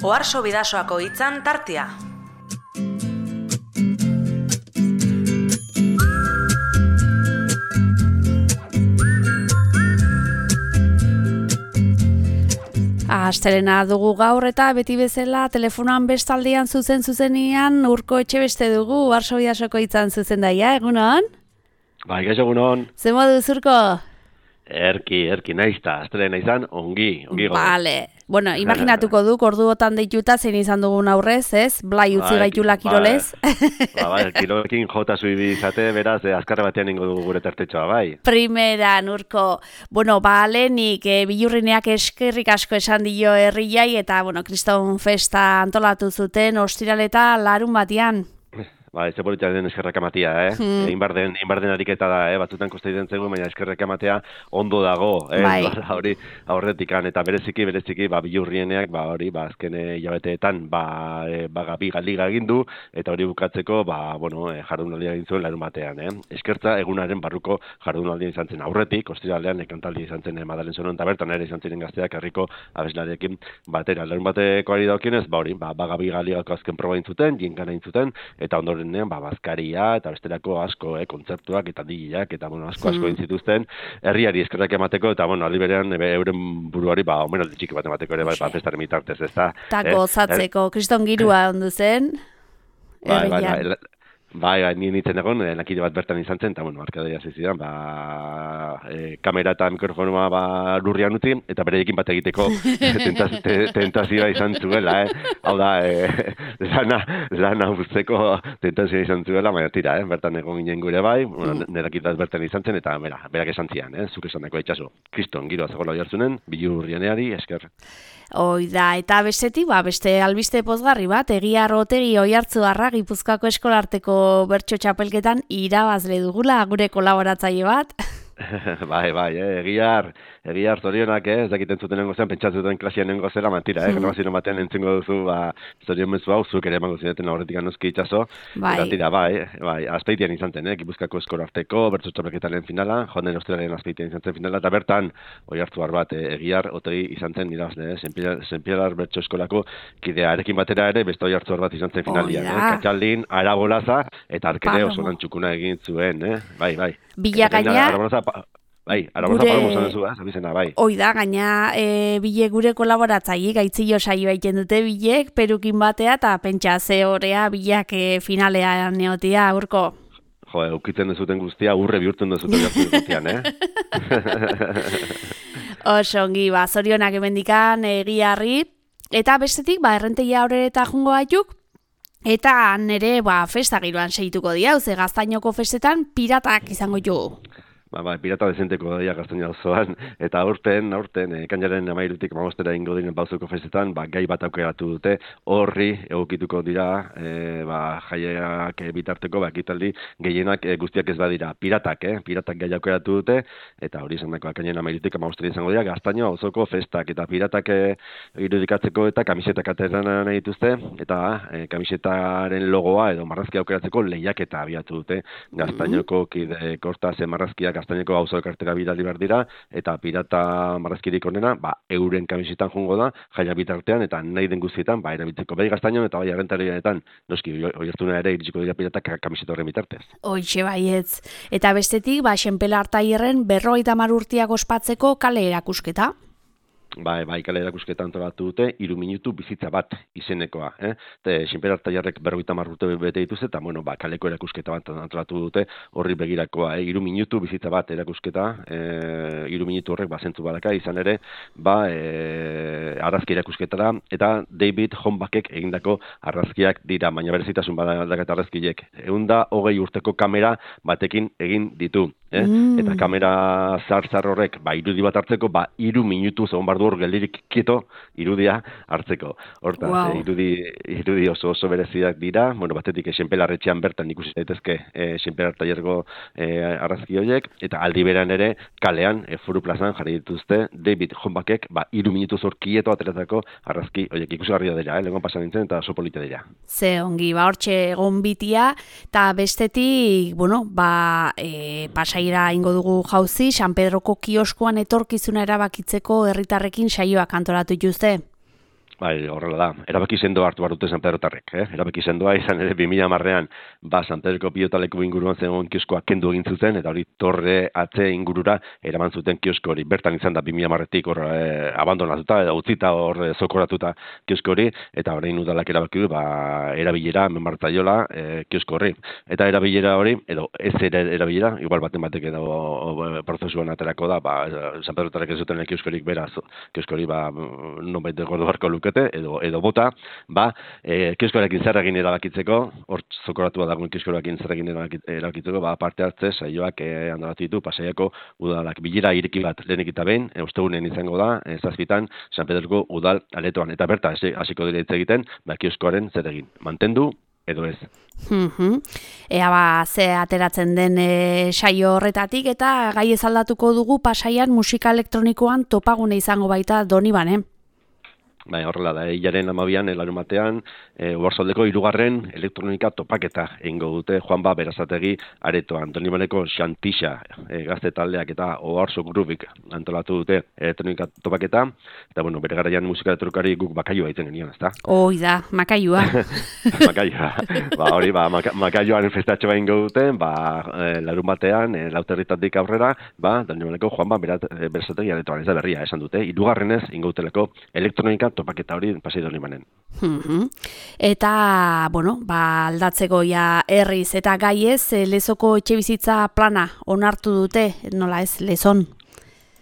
Oharso Bidasoako hitzan tartea. Astelena dugu gaur eta beti bezala telefonoan bestaldean zuzenean Urko Etxebeste dugu Oharso Bidasoko hitzan zuzendaia, egunon? Bai, gaixo egunon. Ze moduz, Urko? Erki naizta, astelena izan, ongi gogo. Vale. Bueno, imaginatuko duk, orduotan deituta zein izan dugun aurrez, ez? Blai utzi gaitula kirolez. Bai, kirolekin jota zuibi izate, beraz, azkarra batean ingo dugu gure tartetxoa, bai. Primeran, Urko. Bueno, lehenik, Bilurrineak eskerrik asko esan dio herriai, eta, Kriston Festa antolatu zuten, ostiraleta larun batean. Ba, ez politia den eskerrak amatea, Egin bar den ariketa da, batzutan kosta egiten zego, baina eskerrak amatea ondo dago, Bai. Hori aurretikan, eta bereziki, Bilurrieneak, azken hilabeteetan, gabi liga egin du, eta hori bukatzeko, jardunaldia egin zuen larun batean, Eskertza egunaren barruko jardunaldia izan zen aurretik, ostiralean ekantaldi izan zen Madalen Zonon, eta bertan ere izan ziren gazteak herriko abeslarekin batera. Larun bateko ari daukionez, gabi ligako azken proba intzuten, jinkana intzuten, eta ondoren bazkaria eta bestelako asko, kontzertuak eta digiak eta asko egin zituzten herriari eskerrak emateko eta aldi berean euren buruari omenaldi txiki bat emateko ere festaren bitartez, ezta? Ta gozatzeko, kriston girua ondu zen. Bai, ni nintzen egon, lakide bat bertan izan zen, eta arkadeia zizidan, kamera eta mikrofonoa lurrian utzi, eta bereekin bat egiteko tentazioa izan zuela, Hau da, lana uzteko tentazioa izan zuela, baina tira, bertan egon ginen gure bai, nerakide bat bertan izan zen, eta berak esan zian, zuk esan dako itxaso. Kriston, giroa zegoela jartzunen, Bilurrieneari, esker. Da, eta bestetik, beste albiste pozgarri bat, Egiar Otegi Oiartzuarra Gipuzkoako eskolarteko bertso txapelketan irabazle dugula, gure kolaboratzaile bat. Bai, Egiar zorionak, ez dakiten zuten nengo zen, pentsatzuten klasian nengo zela, mentira, grabazioen batean entzengo duzu, zorion mezu hau, zuk ere emango zineten aurretik anozki itxaso, eta tira, azpeitian izan zen, Gipuzkoako eskolarteko bertso txapelketaren finala, joan ostiralean azpeitian izan zen finala, eta bertan, Oiartzuar bat, Egiar Otegi izan zen irabazle, Senpiedar bertso eskolako kidearekin batera ere, beste Oiartzuar bat izan zen finalian, Katxaldin, Arabolaza, eta arkere oso lantxukuna egin zuen, bai. Bila gaina... Arabolaza palomo zan zu, zabizena, bai. Oida, gaina bile gure kolaboratzaile, gaitzillo saio egiten dute bilek, perukin batea, eta pentsa ze horea bilak finalean neotia, Urko. Jo, eukitzen dezuten guztia, urre bihurtzen dezuten guztian, Osongi, zorionak emendikan, Egiarri, eta bestetik, errentegia horre eta jungo gaituk, eta nere, festa giroan segituko dira, Gaztainoko festetan piratak izango jugu. Pirata dezenteko daia Gaztaina osoan, eta aurten, ekainaren 13 15 ingo diren Bauzoko festetan, gai bat aukeratu dute, horri egokituko dira, jaiak bitarteko, ekitaldi gehienak guztiak ez badira, piratak gai aukeratu dute, eta hori izan dako ekainaren 13 15 izango dira, Gaztaina Bauzoko festak, eta piratak irudikatzeko eta kamisetak ateran nahi dituzte, eta kamisetaren logoa edo marrazkia aukeratzeko lehiaketa abiatu dute, Gaztainoko kide kortaz marrazkiak Gaztaineko Gauza Elkartera bidali behar dira, eta pirata marrazkirik onena, euren kamisetan jungo da, jaia bitartean, eta nahi den guztietan, erabiltzeko bai Gaztainon eta bai Arrentarianetan, noski, oihartzuna ere iritsiko dira piratak kamiseta horren bitartez. Hoixe baietz. Eta bestetik, Xenpela Artaierren 50 urteak ospatzeko kale erakusketa. Bai, kale erakusketa antolatu dute, 3 minutu bizitza bat izenekoa. Xenpela Artaierrek 50 urte bete dituzte, eta kaleko erakusketa bat antolatu dute, horri begirakoa. 3 minutu bizitza bat erakusketa, 3 minutu horrek zentzu badaka, izan ere, argazki erakusketa da, eta David Hombakek egindako argazkiak dira, baina berezitasun badaketa argazkiek. 120 urteko kamera batekin egin ditu. Eta kamera zar horrek, irudi bat hartzeko, 3 minutu zegoen bardu hor geldirik kieto irudia hartzeko. Hortaz, irudi oso bereziak dira, batetik Xenpela Arretxean bertan ikusi daitezke Xenpela Artaierreko argazki horiek, eta aldi beran ere kalean, Foru plazan jarri dituzte David Hombakek, 3 minutu zor kieto ateratako argazki horiek ikusgarria dira, legon pasan nintzen eta oso polita dira. Ze ongi, hortxe egon bitia, eta bestetik, pasaira ingo dugu jauzi, San Pedroko kioskoan etorkizuna erabakitzeko herritarrekin saioak antolatu dituzte. Bai, horrela da. Erabaki sendoa hartu barute San Pedrotarrek, Erabaki sendoa izan ere 2010ean, San Pedroko pilotaleku inguruan zegoen kioskoa kendu egin zuten eta hori torre atze ingurura eraman zuten kiosko hori. Bertan izan da 2010etik hor abandonatuta edo utzita hor zokoratuta kiosko hori eta orain udalak erabaki du erabilera menbartzaiola kiosko horri. Eta erabilera hori edo ez ere erabilera, igual batek edo prozesuan aterako da, San Pedrotarrek ez zuten kioskorik beraz, kiosko hori nonbait gordo barko edo bota, kioskoarekin zer egin erabakitzeko, hor zokoratua dagoen kioskoarekin zer egin erabakitzeko, parte hartze saioak antolatu ditu Pasaiako udalak. Bilera ireki bat lehenik eta behin, ostegunean izango da, 7 San Pedroko udal aretoan. Eta berta, hasiko dira hitz egiten, kioskoaren zer egin. Mantendu edo ez. Ea ze ateratzen den saio horretatik eta gai ez aldatuko dugu Pasaian musika elektronikoan topagune izango baita Doniban, Bai, horrela da, hilaren 12an, larunbatean, Oarsoaldeko 3. elektronika topaketa egingo dute Juanba Berazategi aretoan. Donibaneko Xantixa gazte taldeak eta Oarso Grubik antolatu dute elektronika topaketa, eta bere garaian musika elektronikari guk Makailua egiten genion, ezta? Hoi da, Makailua. Makailua. Hori, Makailuan festatxo egingo dute, larunbatean, Lauterritatik aurrera, Donibaneko Juanba Berazategi aretoan, ez da berria, esan dute, 3. egingo duteleko elektronika topaketa hori Pasai Donibanen. Eta, aldatzeko herriz eta gaiez, Lezoko etxebizitza plana onartu dute, nola ez, Lezon?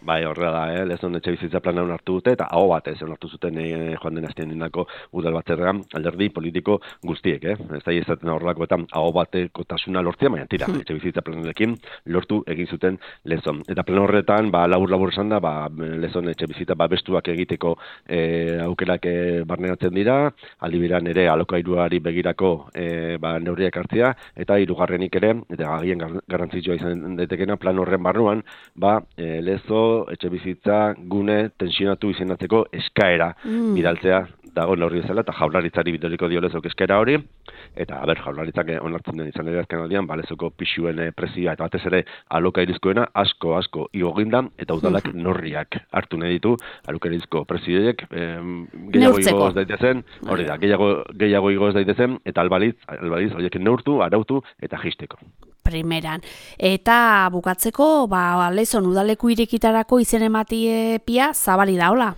Bai, horrela da, Lezon etxebizitza plana onartu dute, eta aho batez onartu zuten joan den astean indako udal batzarrean alderdi politiko guztiek, Ez da izaten horrelakoetan aho batekotasuna lortzea, baina tira, etxebizitza planarekin lortu egin zuten Lezon. Eta plan horretan, labur esan da, Lezon etxebizitza bestuak egiteko aukerak barneratzen dira, aldi beran ere alokairuari begirako neurriak hartzea, eta 3. ere, eta agien garrantzitsua izan daitekena plan horren barruan, Lezo etxebizitza gune tensionatu izenatzeko eskaera bidaltzea dago neurri bezala, eta Jaurlaritzari bidaliko dio Lezok eskaera hori, eta Jaurlaritzak onartzen den izan ere azken aldian, Lezoko pisuen prezioa eta batez ere alokairizkoena asko igo egin da, eta udalak neurriak hartu nahi ditu alokairizko prezioiek gehiago igo ez daitezen, hori da, gehiago igo ez daitezen, eta albaliz horiek neurtu, arautu eta jisteko. Primeran. Eta bukatzeko, Lezon udaleku irekitarako izen ematie pia zabali da, hola?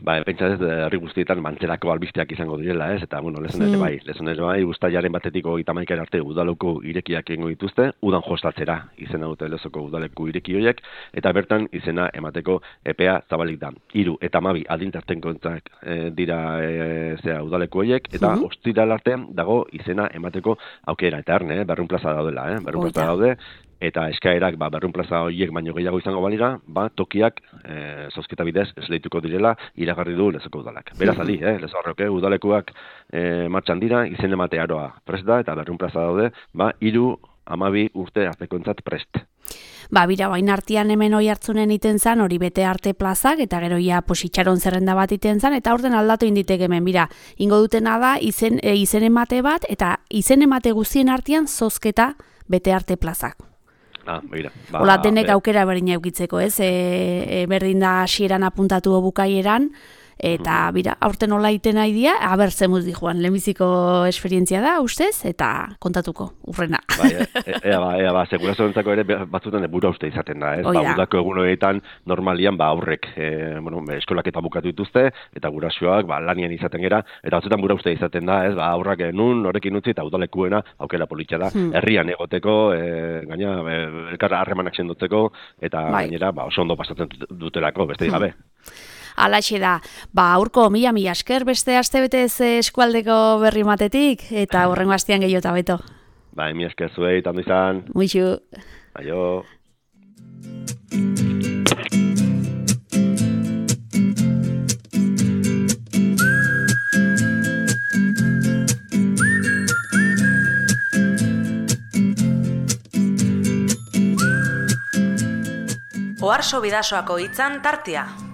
Pentsa ez, herri guztietan mantzelako albisteak izango direla, ez? Eta, Lezon ere bai, uztailaren 31 arte udaleko irekiak egingo dituzte, udan jostatzera izena dute Lezoko udaleku ireki horiek, eta bertan izena emateko epea zabalik da. 3 eta 12 adintartenkoentzat dira udaleku horiek, eta ostiral arte dago izena emateko aukera. Eta erne, 200 plaza daudela, 200 plaza daude, eta eskaerak 200 plaza horiek baino gehiago izango balira, tokiak zozketa bidez esleituko direla iragarri du Lezoko udalak. Beraz adi, Lezo horrek udalekuak martxan dira, izen emate aroa prest da, eta 200 plaza daude, 3-12 urte artekoentzat prest. Bira, bain artean hemen hoi hartzunen iten zan, hori bete arte plazak, eta gero positxaron zerrenda bat iten zan, eta orden aldatu inditek hemen, ingo dutena da, izen emate bat, eta izen emate guztien artean zozketa bete arte plazak. Ola denek aukera berdina eukitzeko, ez? Berdin da hasieran apuntatu bukaieran, eta aurten hola iten nahi dia, aber zemuz di joan, lehenbiziko esperientzia da, ustez, eta kontatuko, urrena. Ea, segurazioentzako ere batzutan bura uste izaten da, ez? Udako egun horietan normalian aurrek eskolak eta bukatu dituzte, eta gurasoak lanian izaten gera, eta batzutan bura uste izaten da, ez? Aurrak nun horrekin utzi eta udalekuena aukera politxa da, herrian egoteko, gaina elkarra harremanak sendotzeko, eta gainera oso ondo pasatzen dutelako, beste gabe. Alaxe da, aurko mila esker beste astebetez eskualdeko berri matetik, eta hurrengo astean gehiago eta beto. Mila esker zuei, tanto izan. Muixu. Aio. Oarso Bidasoako hitzan tartea.